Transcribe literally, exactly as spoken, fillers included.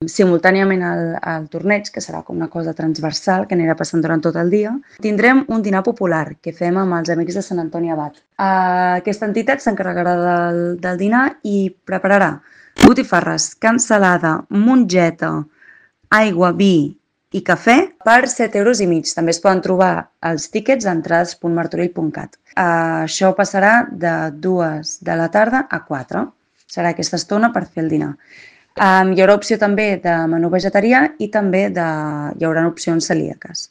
simultàniament al, al torneig, que serà com una cosa transversal que anirà passant durant tot el dia, tindrem un dinar popular que fem amb els amics de Sant Antoni Abat. Uh, aquesta entitat s'encarregarà del, del dinar i prepararà botifarres, cansalada, mongeta, aigua, vi i cafè per set euros i mig. També es poden trobar els tíquets a entrades punt martorell punt cat. Uh, això passarà de dues de la tarda a quatre. Serà aquesta estona per fer el dinar. Um, hi haurà opció també de menú vegetarià i també de, hi haurà opcions celíaques.